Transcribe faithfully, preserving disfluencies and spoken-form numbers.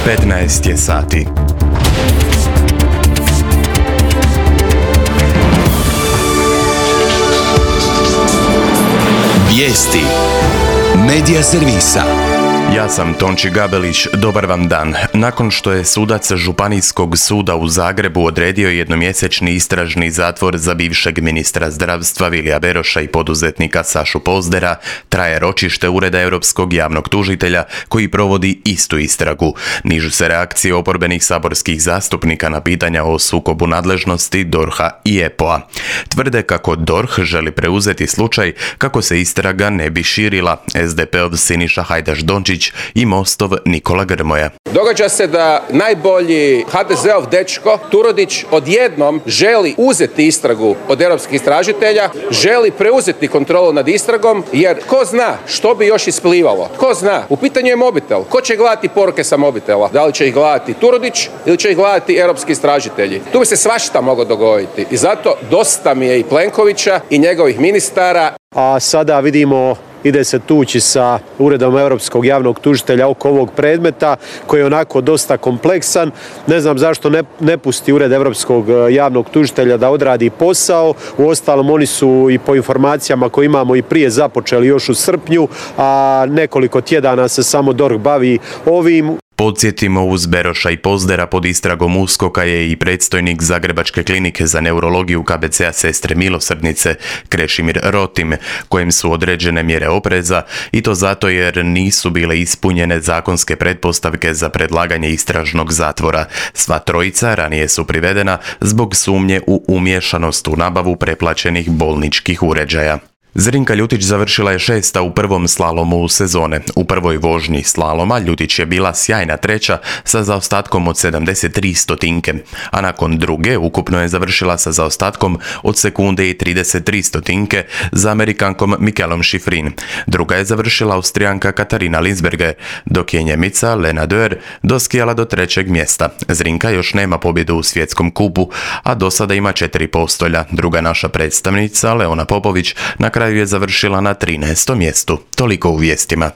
petnaest je sati. Vijesti Medija servisa. Ja sam Tonči Gabelić, dobar vam dan. Nakon što je sudac Županijskog suda u Zagrebu odredio jednomjesečni istražni zatvor za bivšeg ministra zdravstva Vilija Beroša i poduzetnika Sašu Pozdera, traje ročište Ureda Europskog javnog tužitelja koji provodi istu istragu. Nižu se reakcije oporbenih saborskih zastupnika na pitanja o sukobu nadležnosti D O R H-a i E P O-a. Tvrde kako D O R H želi preuzeti slučaj kako se istraga ne bi širila. S D P-ov Siniša Hajdaš Dončić i Mostov Nikola Grmoja. Događa se da najbolji ha de zeov dečko Turudić odjednom želi uzeti istragu od europskih istražitelja, želi preuzeti kontrolu nad istragom, jer ko zna što bi još isplivalo. Ko zna, u pitanju je mobitel. Ko će gledati poruke sa mobitela? Da li će ih gledati Turudić ili će ih gledati europski istražitelji? Tu bi se svašta moglo dogoditi. I zato dosta mi je i Plenkovića i njegovih ministara. A sada vidimo ide se tući sa Uredom Europskog javnog tužitelja oko ovog predmeta koji je onako dosta kompleksan. Ne znam zašto ne, ne pusti Ured Europskog javnog tužitelja da odradi posao. Uostalom oni su i po informacijama koje imamo i prije započeli još u srpnju, a nekoliko tjedana se samo D O R H bavi ovim. Podsjetimo, uz Beroša i Pozdera pod istragom USKOK-a je i predstojnik Zagrebačke klinike za neurologiju K B C-a Sestre milosrdnice Krešimir Rotim, kojem su određene mjere opreza i to zato jer nisu bile ispunjene zakonske pretpostavke za predlaganje istražnog zatvora. Sva trojica ranije su privedena zbog sumnje u umiješanost u nabavu preplaćenih bolničkih uređaja. Zrinka Ljutić završila je šesta u prvom slalomu sezone. U prvoj vožnji slaloma Ljutić je bila sjajna treća sa zaostatkom od sedamdeset tri stotinke, a nakon druge ukupno je završila sa zaostatkom od sekunde i trideset tri stotinke za Amerikankom Mikelom Schifrin. Druga je završila Austrijanka Katarina Linsberger, dok je Njemica Lena Dörr doskijala do trećeg mjesta. Zrinka još nema pobjedu u svjetskom kupu, a do sada ima četiri postolja. Druga naša predstavnica Leona Popović na kraju je završila na trinaestom mjestu. Toliko u vijestima.